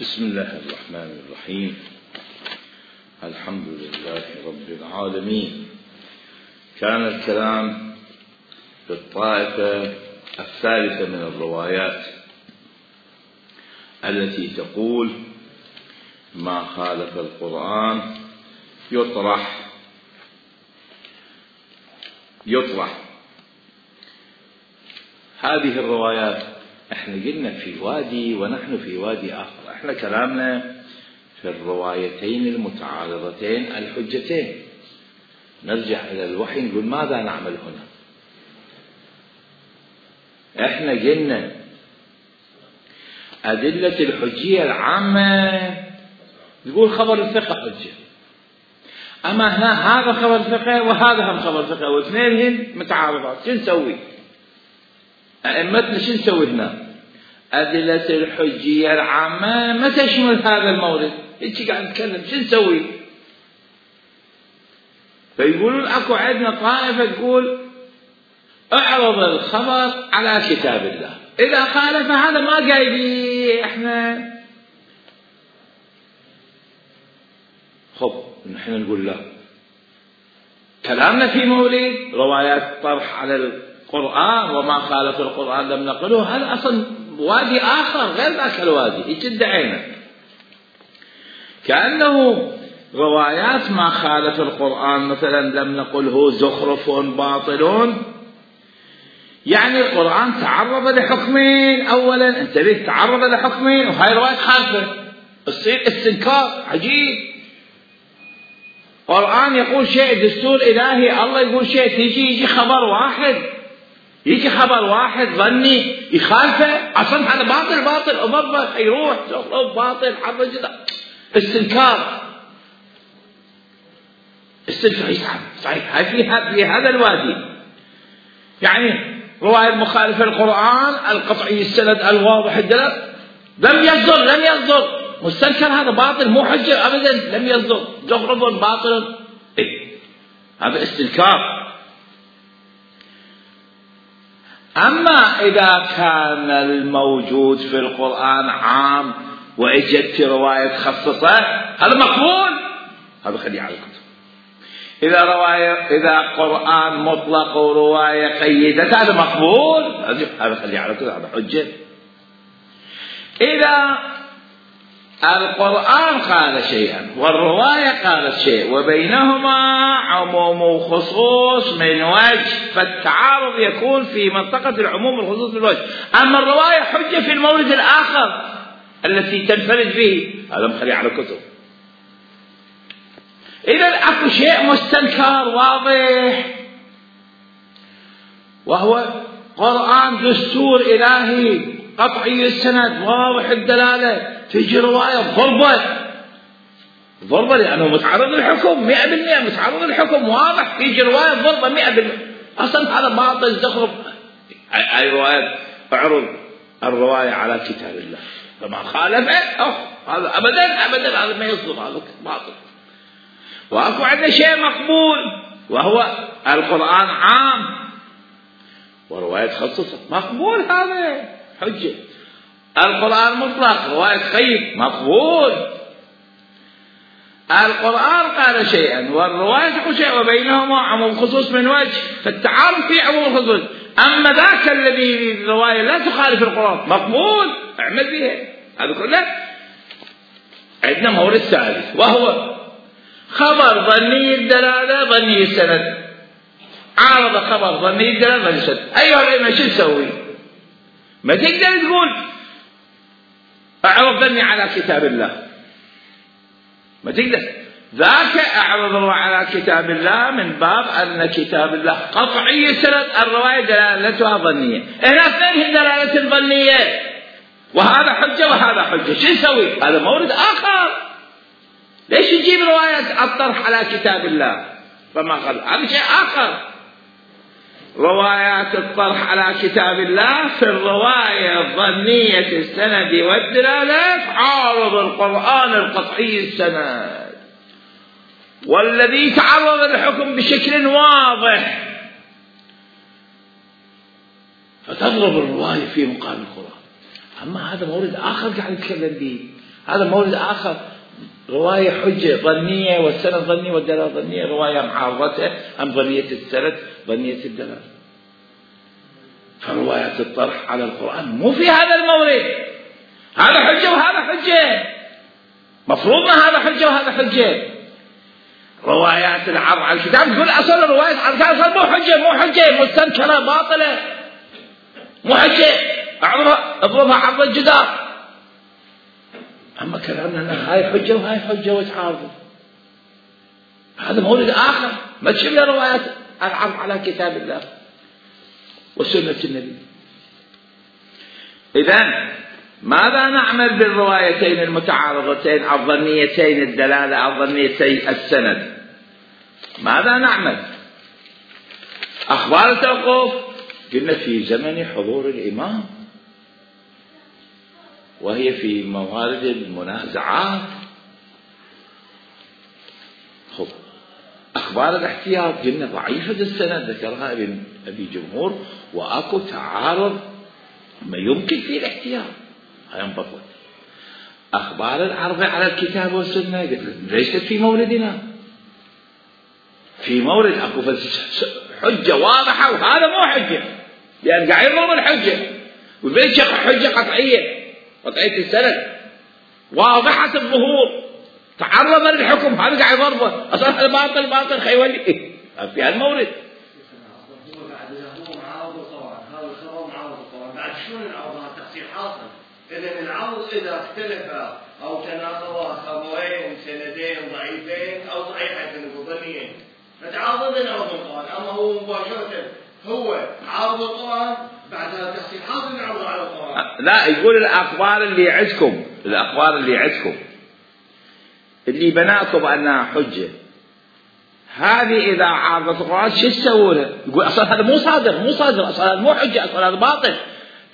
بسم الله الرحمن الرحيم. الحمد لله رب العالمين. كان الكلام في الطائفة الثالثة من الروايات التي تقول ما خالف القرآن يطرح. هذه الروايات احنا قلنا في وادي ونحن في وادي آخر. احنا كلامنا في الروايتين المتعارضتين الحجتين. نرجع إلى الوحي نقول ماذا نعمل هنا؟ احنا قلنا أدلة الحجية العامة تقول خبر الثقة حجة، أما هنا هذا خبر ثقة وهذا هم خبر ثقة واثنين متعارضات. شو نسوي؟ أئمتنا شو نسوي هنا؟ أدلة الحجية العامة ما تشمل هذا المورد. هيك قاعد نتكلم شو نسوي؟ فيقولون أكو عندنا طائفة تقول اعرض الخبر على كتاب الله، إذا خالف هذا ما قايلين احنا. خب نحن نقول لا، كلامنا في مولد روايات طرح على القرآن وما خالف القرآن لم نقله، هذا أصلا وادي آخر غير ذاك الوادي. هيك ادعينا كأنه روايات ما خالف القرآن مثلا لم نقله زخرف باطل، يعني القرآن تعرض لحكمين. أولا انتبه، تعرض لحكمين وهاي رواية خالفة، تصير استنكار عجيب. القرآن يقول شيء دستور إلهي، الله يقول شيء، يجي خبر واحد ظني يخالفه. أصلا هذا باطل أضربه يروح زخرف باطل حرج استنكار صحيح. هاي في هذا الوادي، يعني رواية مخالفة القرآن القطعي السند الواضح الدلالة لم يصدر مستنكر، هذا باطل مو حجة أبدا، لم يصدر زخرف باطل. هذا استنكار. أما إذا كان الموجود في القرآن عام وإجت رواية خصصة هذا مقبول، هذا خليه على الكتب. إذا قرآن مطلق ورواية قيدت هذا مقبول، هذا خليه على الكتب، هذا حجة. إذا القرآن قال شيئا والرواية قالت شيء وبينهما عموم وخصوص من وجه، فالتعارض يكون في منطقة العموم والخصوص من وجه. أما الرواية حجة في المورد الآخر التي تنفرد به، هذا مخلي على كتب. إذا أكو شيء مستنكر واضح وهو قرآن دستور إلهي قطعي السند واضح الدلالة، تجي رواية ضربة لأنه متعرض للحكم 100%، متعرض للحكم واضح، تيجي رواية ضربة 100%. أصلا هذا باطل زخرف. أي رواية اعرض الرواية على كتاب الله فما خالفه هذا أبدا هذا ما يصدق، هذا باطل. وأكو عندنا شيء مقبول وهو القرآن عام ورواية خصصة مقبول، هذا حجة. القرآن مطلق رواية قيد مقبول. القرآن قال شيئا والرواية تقول شيئا وبينهما عموم خصوص من وجه، فالتعارض في عموم خصوص. أما ذاك الذي الرواية لا تخالف القرآن مقبول، اعمل بها. هذا كله عندنا مورد ثالث وهو خبر ظني الدلالة ظني السند. عارض خبر ظني الدلالة ظني السند. أيها الأئمة شو نسوي؟ ما تقدر تقول اعرض ظني على كتاب الله، ما تقدر. ذاك اعرض على كتاب الله من باب أن كتاب الله قطعي السند، الرواية دلالتها ظنية. هنا اثنين دلالة ظنية، وهذا حجة وهذا حجة. شو نسوي؟ هذا مورد آخر. ليش نجيب رواية الطرح على كتاب الله فما قال؟ هذا شيء آخر. روايات الطرح على كتاب الله في الرواية الظنية السند والدلالات عارض القرآن القطعي السند والذي تعرض للحكم بشكل واضح، فتضرب الرواية في مقام القرآن. أما هذا مورد آخر قاعد نتكلم به، هذا مورد آخر. رواية حجة ظنية والسند ظني والدلالة ظنية، رواية معارضة أم ظنية السند ظنية الدلالة. فروايات الطرح على القرآن مو في هذا المورد، هذا حجة وهذا حجة، مفروضنا هذا حجة وهذا حجة. روايات العرض على الكتاب تقول أصل رواية على الكتاب أصل مو حجة مستنكرة باطلة، مو حجة، اضربها عرض الجدار. أما كلامنا هاي حجة وهاي حجة وتعارض، هذا مورد آخر. ما تشوف لنا روايات العرض على كتاب الله وسنة النبي. إذن ماذا نعمل بالروايتين المتعارضتين الظنيتين الدلالة الظنيتين السند؟ ماذا نعمل؟ أخبار التوقف قلنا في زمن حضور الإمام، وهي في موارد المنازعات. خب أخبار الاحتياط قلنا ضعيفة السند، ذكرها ابن أبي جمهور، وأكو تعارض ما يمكن فيه الاحتياط هينبطل. أخبار العرض على الكتاب والسنة ليست في موردنا، في مورد أكو حجة واضحة وهذا مو حجة، لأن قاعد يضرب الحجة والبيت حجة قطعية السند واضحة الظهور، تعرض للحكم، هذا قاعد يضربه أصلا هذا باطل خيولي في هالمورد. هو معارض طبعا، هذا الخبر معارض طبعا. بعد شلون العرض؟ هذا تفسير حاصل. إذا العرض إذا اختلف أو تناقض خبرين سندين ضعيفين أو صحيحين ظنيين فتعارض العرض القرآن. أما هو مباشرة هو عرض القرآن بعد هذا تفسير حاصل العرض على القرآن. لا، يقول الأخبار اللي عندكم اللي بناكم أنها حجة، هذه إذا عارضت القرآن شو تسووا له؟ يقول أصلا هذا مو صادر أصلا مو حجة، أصلا هذا باطل،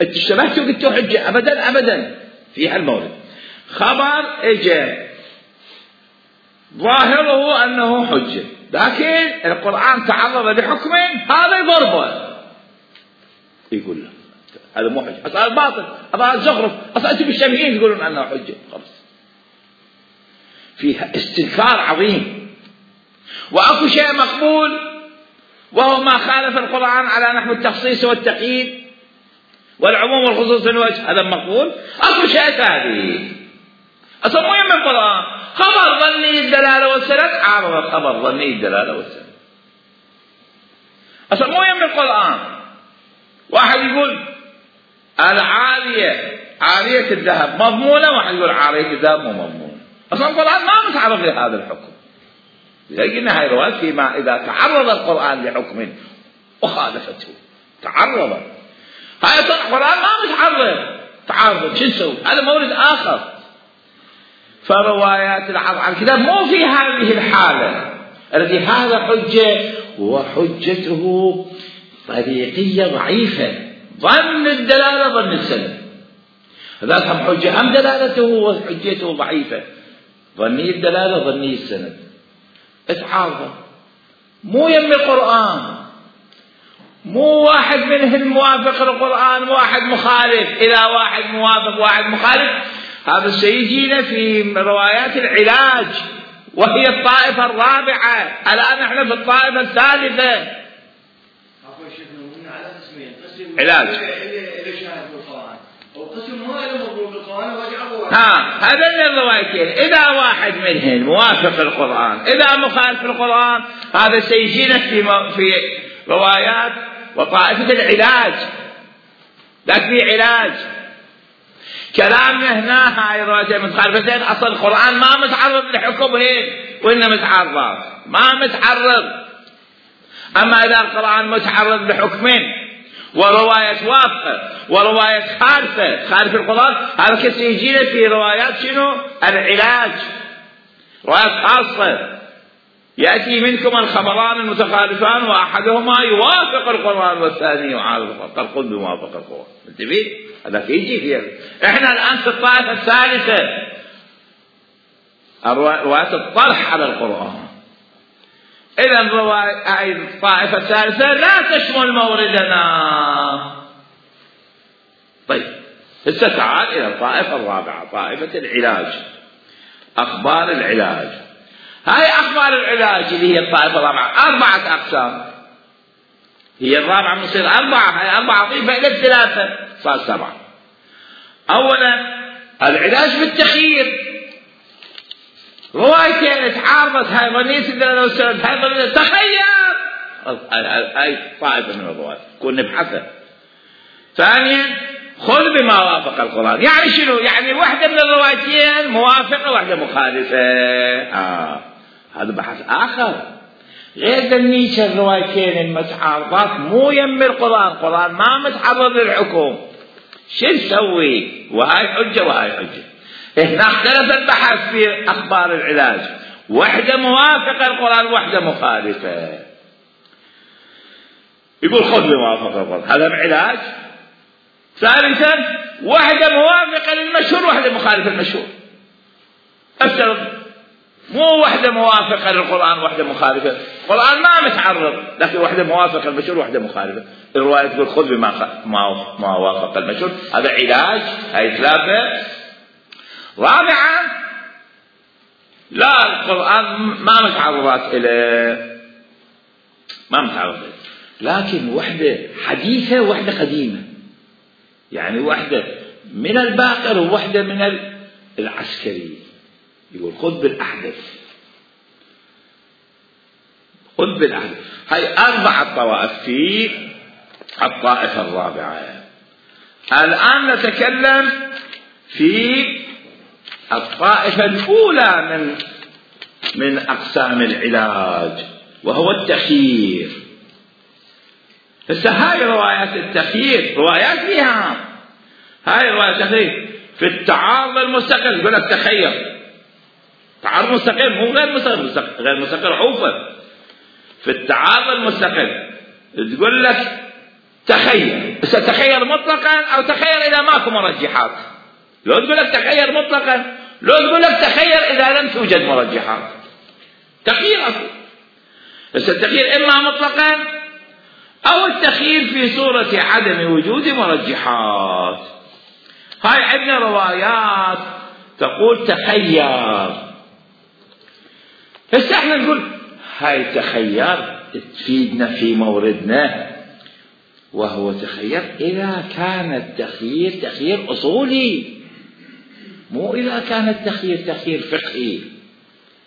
أنت اشتبهتوا قلتوا حجة. أبدا في هالمورد خبر إجا ظاهره أنه حجة، لكن القرآن تعرض لحكم هذا يضربه، يقول له هذا مو حجة، أصلا باطل، أصلا زخرف، أصلا أنتم مشتبهين تقولون أنه حجة. خلاص فيها استنكار عظيم. وأكو شيء مقبول وهو ما خالف القرآن على نحو التخصيص والتقييد والعموم والخصوص الوجه، هذا مقبول. أكو شيء ثاني أصلا مو يم القرآن، خبر ظني الدلالة والسند عارض خبر ظني الدلالة والسند، أصلا مو يم القرآن. واحد يقول عارية الذهب مضمونة، واحد يقول عارية الذهب مو مضمونة، أصلا القرآن ما متعرض لهذا الحكم. لكن هاي روايات فيما إذا تعرض القرآن لحكم وخالفته تعرض، هاي القرآن ما تعرض شو نسوي؟ هذا مورد آخر. فروايات العرض على الكتاب مو في هذه الحالة التي هذا حجة وحجته طريقية ضعيفة، ظن الدلالة ظن السند، هذا هم حجة هم دلالته وحجته ضعيفة، ظني الدلالة ظني السند اتعارض، مو يم القرآن، مو واحد منهم موافق القرآن واحد مخالف. إذا واحد موافق واحد مخالف هذا سيجينا في روايات العلاج، وهي الطائفة الرابعة. الآن نحن في الطائفة الثالثة. علاج هذا الروايتين، إذا واحد منهم موافق القرآن إذا مخالف القرآن هذا سيجينا في روايات وطائفة العلاج. لكن في علاج كلامنا هنا هاي الروايتين متخالفتين، أصل القرآن ما متعرض لحكمهن وإنما متعرض ما متعرض. أما إذا القرآن متعرض لحكمين ورواية وافقة ورواية خالف القرآن، هذا كسي يجينا في روايات شنو؟ العلاج، روايات خاصة يأتي منكم الخبران المتخالفان وأحدهما يوافق القرآن والثاني يعارض القرآن، فالقل بموافق القرآن. انتبه، هذا يجي فيه. احنا الآن في الطائفة الثالثة، رواية الطرح على القرآن. إذا الطائفة الثالثة لا تشمل موردنا. طيب هسه تعال إلى الطائفة الرابعة، طائفة العلاج، أخبار العلاج. هاي أخبار العلاج اللي هي الطائفة الرابعة 4 أقسام، هي الرابعة مصير 4، هاي 4 ضيفة إلى 3 صار 7. أولا العلاج بالتخيير، روايتين تعارضت، هاي ظنية الدلالة والسند، هاي ظنية تخير، هاي طائفة من الروايات كون نبحثها. ثانيا خذ بما وافق القرآن، يعني شنو؟ يعني واحدة من الروايتين موافقة واحدة مخالفة، هذا بحث آخر غير ذنيك الروايتين المتعارضات مو يم القرآن ما متعرض للحكم، شو نسوي؟ وهاي حجة وهاي حجة. هنا اختلف البحث في أخبار العلاج، واحدة موافقة القرآن واحدة مخالفة. يقول خذ بما وافق القرآن، هذا بعلاج. ثالثا واحدة موافقة للمشهور واحدة مخالفة للمشهور. افترض مو واحدة موافقة للقرآن واحدة مخالفة، القرآن ما متعرض لكن واحدة موافقة للمشهور واحدة مخالفة، الرواية تقول خذ بما ما وافق المشهور، هذا علاج. هاي 3. رابعا لا القرآن ما متعرضات إليه، ما متعرض لكن واحدة حديثة وواحدة قديمة، يعني واحدة من الباقر وواحدة من العسكري، يقول خذ بالأحدث، خذ بالأحدث. هاي 4 طوائف في الطائفة الرابعة. الآن نتكلم في الطائفة الأولى من أقسام العلاج وهو التخيير. هسه هاي روايات التخيير روايات فيها، هاي روايات التخيير في التعارض المستقل يقول لك تخير، تعارض مستقل مو غير مستقل، غير مستقل عوفة. في التعارض المستقل تقول لك تخير، بس تخير مطلقا أو تخير إذا ماكو مرجحات. لو تقول لك تخير مطلقا، لو تقول لك تخير إذا لم توجد مرجحات، تخير أصلا. بس التخير إما مطلقا أو التخيير في صورة عدم وجود مرجحات. هاي عندنا روايات تقول تخير، بس احنا نقول هاي تخير تفيدنا في موردنا، وهو تخير إذا كان التخيير تخيير أصولي، مو إذا كان التخيير تخيير فقهي.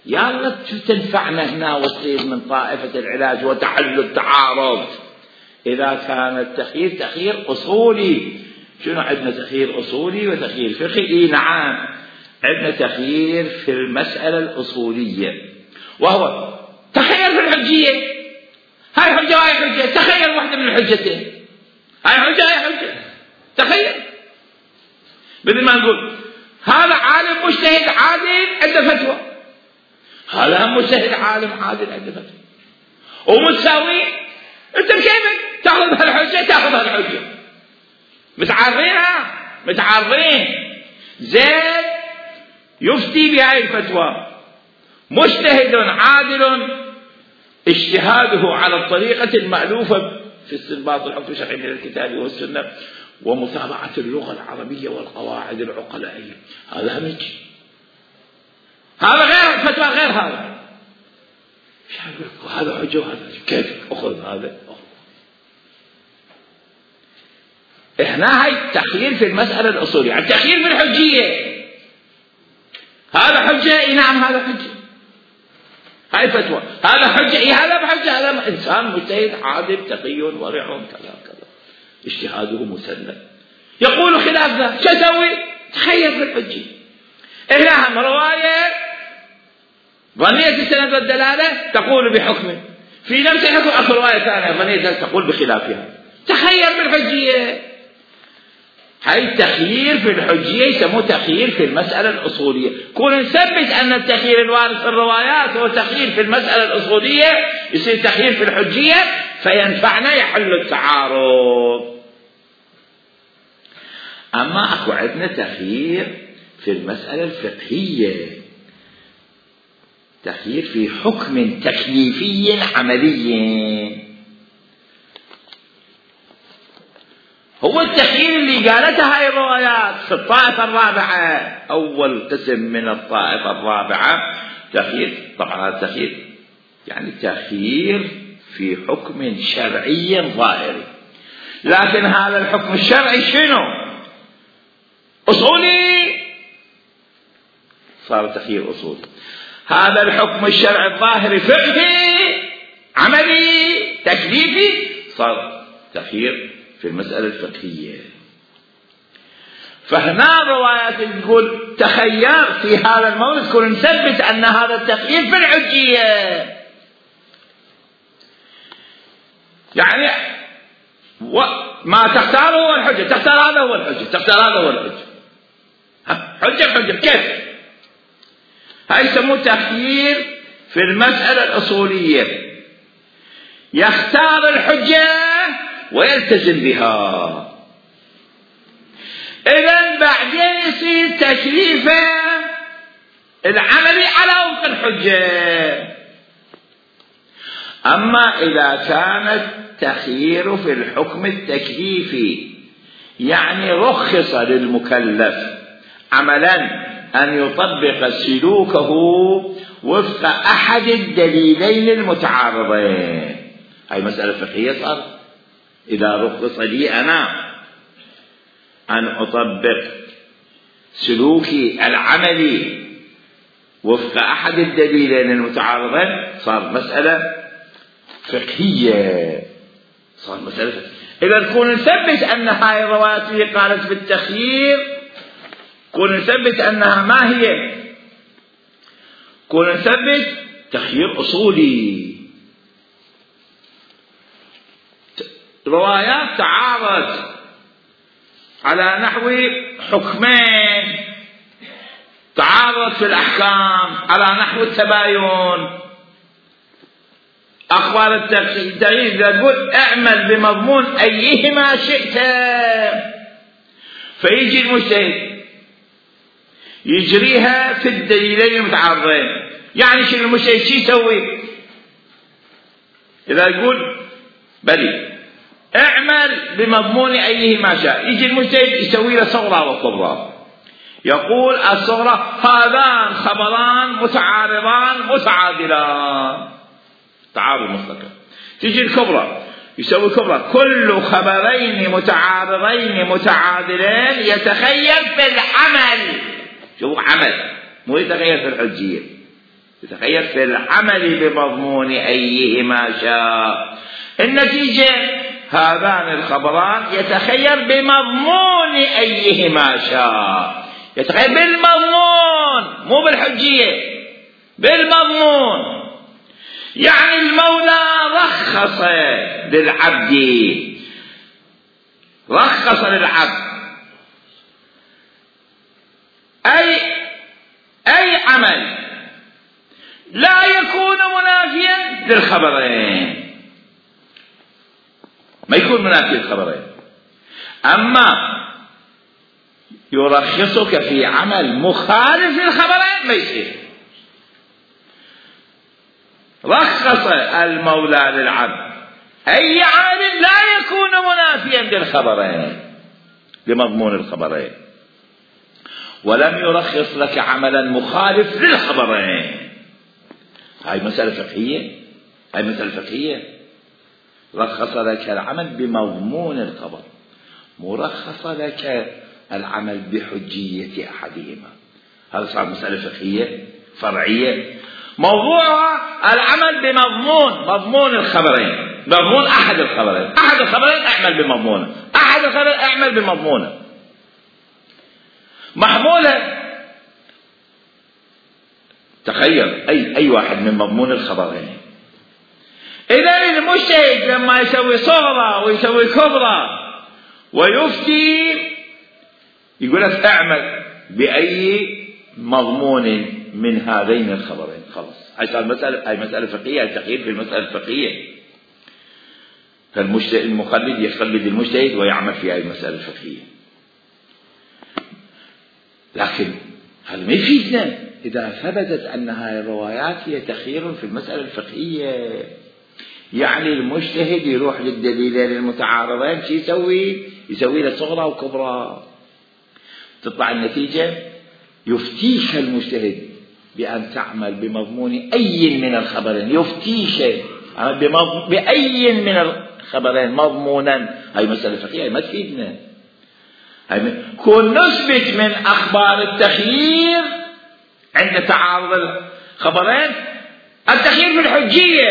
يلا تنفعنا هنا وتصير من طائفة العلاج وتحل التعارض. إذا كان التخيير تخيير أصولي، شنو عندنا تخيير أصولي وتخيير فقهي؟ نعم عندنا تخيير في المسألة الأصولية، وهو تخير في الحجية. هاي حجة وهاي حجة، تخير واحدة من الحجتين، هاي حجة هاي حجة، تخير. بدل ما نقول هذا عالم مجتهد عادل عنده فتوى، هذا هم مجتهد عالم عادل عنده فتوى ومتساوي، انت كيفك تاخذ هالحجة تاخذ هالحجة، متعارضين. زين يفتي بهاي الفتوى مجتهد عادل اجتهاده على الطريقة المألوفة في استنباط الحكم الشرعي من الكتاب والسنة ومتابعة اللغة العربية والقواعد العقلائية، هذا همج، هذا غير فتوى غير هذا. هذا حجة وهذا كيف أخذ هذا؟ إحنا هاي التخيير في المسألة الأصولية، يعني التخيير في الحجية، هذا حجة نعم هذا حجة، هاي فتوى، هذا حجة هذا بحجة، هذا إنسان مجتهد عادل تقي ورع كذا كذا اجتهاده مسلم، يقول خلاف ذا، شو أسوي؟ تخير في الحجة. إحنا هم رواية ظنية السند والدلالة تقول بحكم في نفس الحكم، أخر رواية ثانية ظنية تقول بخلافها، تخير في الحجية. هاي التخيير في الحجية يسموه تخيير في المسألة الأصولية. كون نثبت أن التخيير الوارد في الروايات هو تخيير في المسألة الأصولية، يصير تخيير في الحجية فينفعنا يحل التعارض. أما أكو عندنا تخيير في المسألة الفقهية، تخيير في حكم تكليفي عملي. هو التخيير اللي قالتها هاي الروايات في الطائفة الرابعة. أول قسم من الطائفة الرابعة تخيير، طبعا هذا التخيير يعني تخيير في حكم شرعي ظاهري، لكن هذا الحكم الشرعي شنو؟ أصولي، صار تخيير أصولي. هذا الحكم الشرعي الظاهري فقهي عملي تكليفي، صار تخيير في المسألة الفقهية. فهنا روايات تقول تخير في هذا المورد كون نثبت أن هذا التخيير في الحجية، يعني ما تختاره هو الحجة، تختار هذا هو الحجة، تختار هذا هو الحجة، حجة كيف؟ هاي يسموه تخيير في المسألة الأصولية، يختار الحجة ويلتزم بها. إذن بعدين يصير تكليفه العملي على وفق الحجة. أما إذا كان التخيير في الحكم التكليفي يعني رخص للمكلف عملا أن يطبق سلوكه وفق أحد الدليلين المتعارضين، هاي مسألة فقهية صار. إذا رخص لي أنا أن أطبق سلوكي العملي وفق أحد الدليلين المتعارضين صار مسألة فقهية، صار مسألة فقهية. إذا نكون نثبت أن هاي الروايات اللي قالت بالتخيير كون نثبت أنها ما هي، كون نثبت تخيير أصولي. روايات تعارض على نحو حكمين، تعارض في الأحكام على نحو التباين. أخبار التغيير إذا تقول اعمل بمضمون أيهما شئت، فيجي المجتهد يجريها في الدليلين المتعارضين. يعني شنو المجتهد شو يسوي؟ إذا يقول بلي اعمل بمضمون أيهما شاء، يجي المجتهد يسوي له صغرى وكبرى، يقول الصغرى هذان خبران متعارضان متعادلان، تعارض مطلق. تجي الكبرى يسوي كبرى كل خبرين متعارضين متعادلين يتخيل في العمل. شوف عمل، مو يتخيل في الحجية، يتخيل في العمل بمضمون أيهما شاء. النتيجة هذان الخبران يتخيل بمضمون أيهما شاء، يتخيل بالمضمون مو بالحجية، بالمضمون. يعني المولى رخص للعبد، رخص للعبد أي عمل لا يكون منافيا للخبرين، ما يكون منافي للخبرين. أما يرخصك في عمل مخالف للخبرين ما يصير. رخص المولى للعبد أي عمل لا يكون منافيا للخبرين، لمضمون الخبرين، ولم يرخص لك عملا مخالف للخبرين. هاي مسألة فقهية، هاي مسألة فقهية. رخص لك العمل بمضمون الخبر، مرخص لك العمل بحجية أحدهما. هذا صار مسألة فقهية فرعية، موضوعها العمل مضمون الخبرين، مضمون أحد الخبرين. أحد الخبرين اعمل بمضمونه، أحد الخبرين اعمل بمضمونه، محمولة. تخيل أي واحد من مضمون الخبرين. إذا المجتهد لما يسوي صغرى ويسوي كبرى ويفتي يقول لك اعمل بأي مضمون من هذين الخبرين، خلاص. هاي مسألة فقهية، التخيير في المسألة الفقهية. فالمخلد يخلد المجتهد ويعمل في هاي المسألة الفقهية. لكن هذا ما يفيدنا إذا ثبتت أن هاي الروايات هي تخيير في المسألة الفقهية. يعني المجتهد يروح للدليلين المتعارضين شو يسوي؟ يسوي لك صغرى وكبرى. تطلع النتيجة يفتيك المجتهد بأن تعمل بمضمون أي من الخبرين، يفتيك بأي من الخبرين مضمونا. هاي مسألة فقهية ما تفيدنا. كون نثبت من أخبار التخيير عند تعارض الخبرين التخيير في الحجية،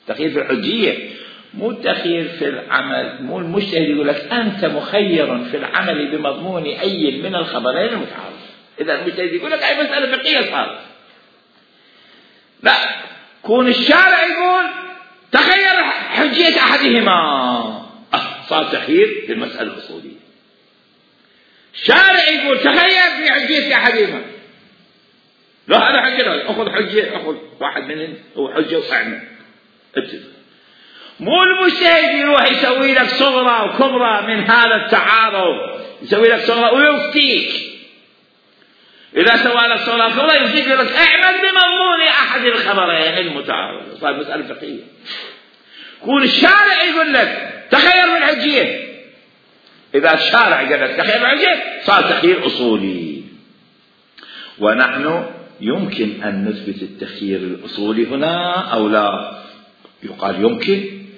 التخيير في الحجية، مو التخيير في العمل. مو المجتهد يقول لك أنت مخير في العمل بمضمون أي من الخبرين المتعارض. إذا المجتهد يقول لك أي مسألة فقهية صارت. لا، كون الشارع يقول تخير حجية أحدهما، صار تخيير في المسألة الأصولية. الشارع يقول تخير في حجية أحدهما، لا هذا حجة، أخذ حجة، أخذ واحد منهم هو حجة وأعمل اتفق. مو المجتهد يروح يسوي لك صغرى وكبرى من هذا التعارض، يسوي لك صغرى ويفتيك. إذا سوى لك صغرى وكبرى يفتيك يقول لك اعمل بمضمون أحد الخبرين المتعارض. صار مسألة فقهية. كون الشارع يقول لك تخير من حجية، إذا الشارع قال لك تخير من حجية صار تخيير أصولي. ونحن يمكن أن نثبت التخيير الأصولي هنا أو لا؟ يقال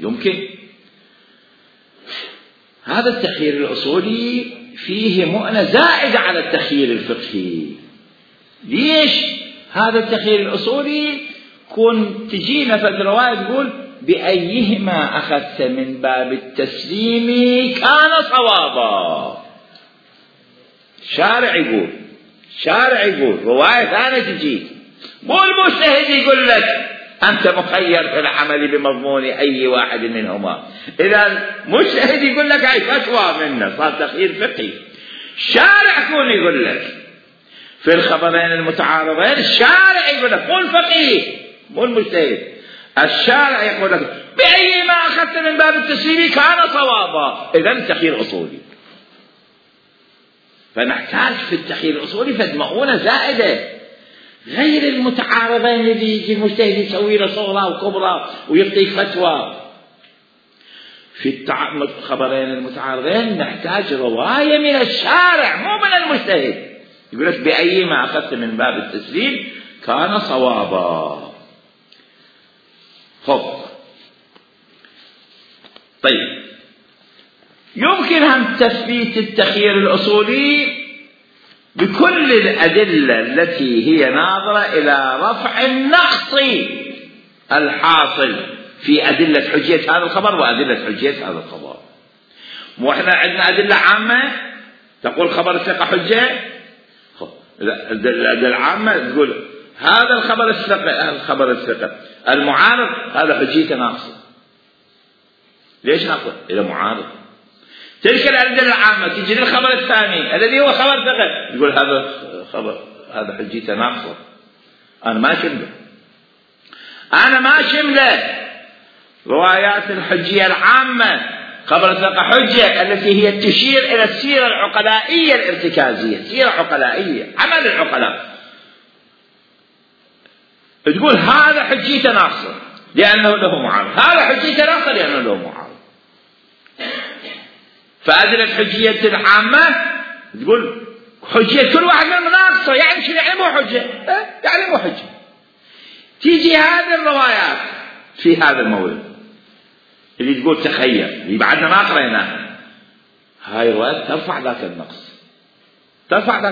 يمكن. هذا التخيير الأصولي فيه مؤنة زائدة على التخيير الفقهي. ليش هذا التخيير الأصولي؟ كن تجينا في الرواية تقول بأيهما أخذت من باب التسليم كان صوابا. شارع يقول رواية ثانية تجي، مو المجتهد يقول لك أنت مخير في العمل بمضمون أي واحد منهما. إذا المجتهد يقول لك هاي فتوى منه، صار تخيير فقهي. الشارع كون يقول لك في الخبرين المتعارضين، الشارع يقول لك مو الفقيه مو المجتهد، الشارع يقول لك بأيما أخذت من باب التسليم كان صوابا. إذا التخيير أصولي. فنحتاج في التخيير الأصولي فد مؤونة زائدة غير المتعارضين اللي يجي المجتهد يسوي له صغرى وكبرى ويعطيك فتوى. في الخبرين المتعارضين نحتاج رواية من الشارع مو من المجتهد، يقول لك بأيما أخذت من باب التسليم كان صوابا. طيب، يمكن أن تثبيت التخيير الأصولي بكل الأدلة التي هي ناظرة إلى رفع النقص الحاصل في أدلة حجية هذا الخبر وأدلة حجية هذا الخبر. وإحنا عندنا أدلة عامة تقول خبر الثقة حجة. الأدلة العامة تقول هذا الخبر الثقة المعارض هذا حجيته ناقصة. ليش ناقصة؟ إذا معارض. تلك الأدلة العامة تجي للخبر الثاني الذي هو خبر ثقة، يقول هذا خبر هذا حجيته ناقصة، أنا ما شمله روايات الحجية العامة خبر الثقة حجة التي هي تشير إلى السيرة العقلائية الارتكازية، سيرة عقلائية عمل العقلاء، تقول هذا حجيته ناقصة لأنه له معارض، هذا حجيته ناقصة لأنه له معارض. فأدلة الحجية العامة تقول حجية كل واحد منهم ناقصة، يعني شنو يعني مو حجة؟ يعني مو حجة. تيجي هذه الروايات في هذا المورد اللي تقول تخيل اللي بعدنا ما قريناها، هاي الروايات ترفع ذاك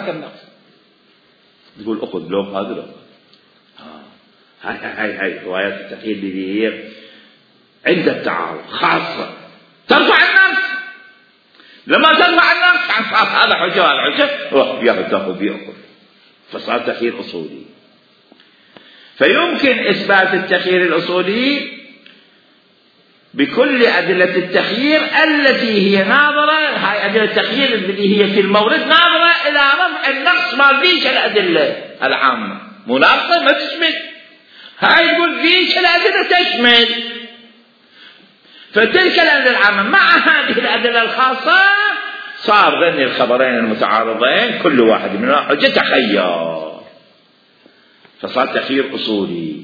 النقص، تقول أخذ لو هذا لو هاي روايات التخيل اللي هي عند التعارض خاصة ترفع النقص. لما ترفع النقص عن صار هذا حجة وهذا حجة يأخذ، فصار تخيير أصولي. فيمكن إثبات التخيير الأصولي بكل أدلة التخيير التي هي ناظرة، هاي أدلة التخيير اللي هي في المورد ناظرة إلى رفع النقص ما فيش الأدلة العامة، مناقصة ما تشمل، هاي تقول فيش الأدلة تشمل. فتلك الأدلة العامة مع هذه الأدلة الخاصة صار ذني الخبرين المتعارضين كل واحد منها حجة تخير، فصار تخيير أصولي.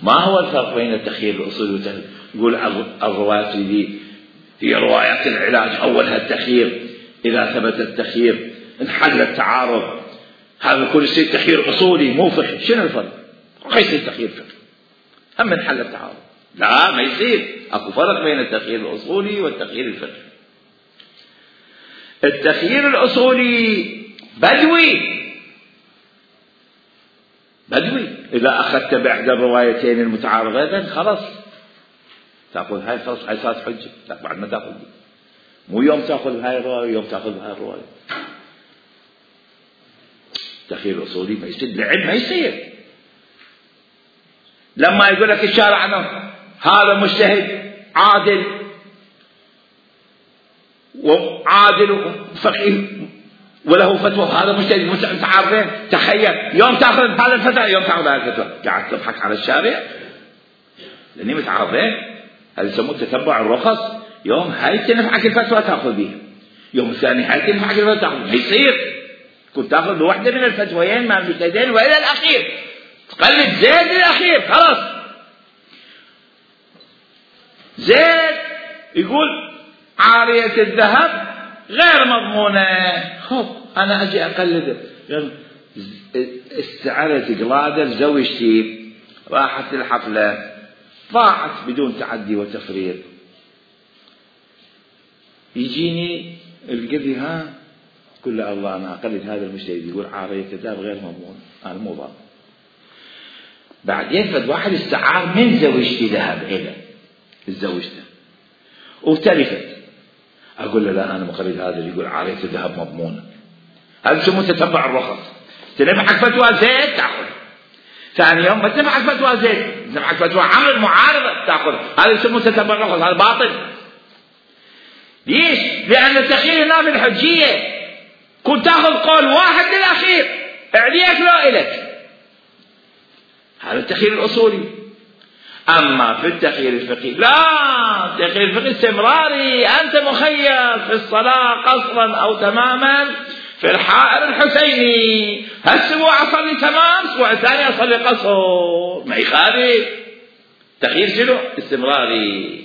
ما هو الفرق بين التخيير الأصولي نقول الروايات اللي هي روايات العلاج أولها التخيير، إذا ثبت التخيير انحل التعارض. هذا كل شيء تخيير أصولي مو فقهي. شنو الفرق؟ ما يصير تخيير فقهي هم انحل التعارض. لا ما يصير. أكو فرق بين التخيير الأصولي والتخيير الفقهي. التخيير الأصولي بدوي، إذا أخذت بإحدى الروايتين المتعارضتين خلاص تأخذ هاي، خلاص هاي صارت حجة. لا بعد ما تأخذ دي. مو يوم تأخذ هاي الرواية يوم تأخذ هاي الرواية. التخيير الأصولي ما يصير، العلم ما يصير. لما يقول لك الشارع عنه هذا مجتهد عادل وفقيه وله فتوى، هذا مجتهد متعارضين، تخيل يوم تأخذ هذا الفتوى يوم تأخذ هذا الفتوى، قاعد تضحك على الشارع لأني متعارضين. هذا يسموه تتبع الرخص. يوم هاي تنفعك الفتوى تأخذ بها، يوم الثاني هاي تنفعك الفتوى تأخذ. ما يصير كنت تأخذ بواحدة من الفتويين مع المجتهدين وإلى الأخير تقلد زيد للأخير. خلاص زيد يقول عارية الذهب غير مضمونة، خب أنا أجي أقلده. استعرت قلادة لزوجتي، راحت الحفلة ضاعت بدون تعدي وتفريط. يجيني القذي ها كل الله أنا أقلد هذا المجتهد يقول عارية الذهب غير مضمونة، أنا مو ضامن. بعدين فد واحد استعار من زوجتي ذهب إلى الزوجته وتلفت، أقول له لا أنا مقلد هذا اللي يقول عارية الذهب مضمونة. هذا يسموه تتبع الرخص. تنفعك فتوى زيد تأخذ، ثاني يوم ما تنفعك فتوى زيد تنفعك فتوى عمرو المعارضة تأخذ. هذا يسموه تتبع الرخص. هذا باطل. ليش؟ لأن التخيير هنا بالحجية. كنت تأخذ قول واحد للأخير عليك لا إلك، هذا التخيير الأصولي. أما في التخيير الفقهي لا، التخيير الفقهي استمراري. أنت مخير في الصلاة قصرا أو تماما في الحائر الحسيني، هالسبوع أصلي تمام، الأسبوع الثاني أصلي قصر، ما يخالف. تخيير شنو؟ استمراري.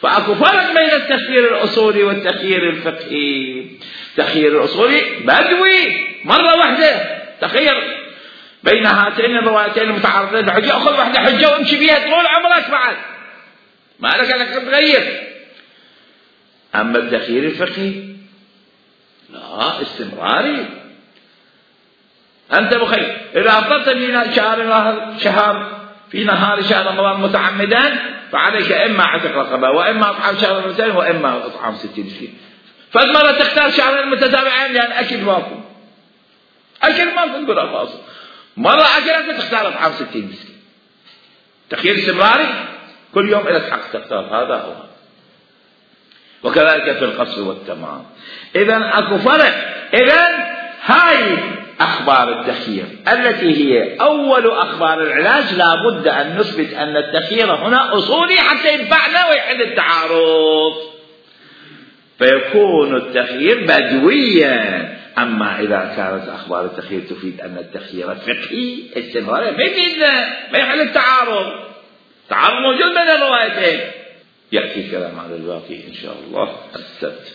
فأكو فرق بين التخيير الأصولي والتخيير الفقهي. التخيير الأصولي بدوي مرة واحدة، تخير بين هاتين الروايتين المتعارضتين الحجة، أخذ واحدة حجة وامشي بيها طول عمرك بعد ما لك أنك تغير. أما التخيير الفقهي لا، استمراري. أنت مخير إذا أفضلت في شهر في نهار شهر رمضان متعمدا فعليك إما عتق رقبة وإما إطعام شهر رمضان وإما إطعام 60 مسكين. فالمرة تختار شهرين متتابعين لأن أكل ماكو، أكل ماكو نقول خلاص، مرة أكلت تختار إطعام 60 مسكين. تخيير استمراري، كل يوم إلى حق تختار هذا أو هذا. وكذلك في القصر والتمام. إذن أكو فرق. إذن هاي أخبار التخيير التي هي أول أخبار العلاج لابد أن نثبت أن التخيير هنا أصولي حتى ينفعنا ويحل التعارض، فيكون التخيير بدويا. أما إذا كانت أخبار التخيير تفيد أن التخيير فقهي استمراري ما يفيدنا، ما يحل التعارض. التعارض موجود بين الروايتين. يأتي الكلام على الباقي إن شاء الله السبت.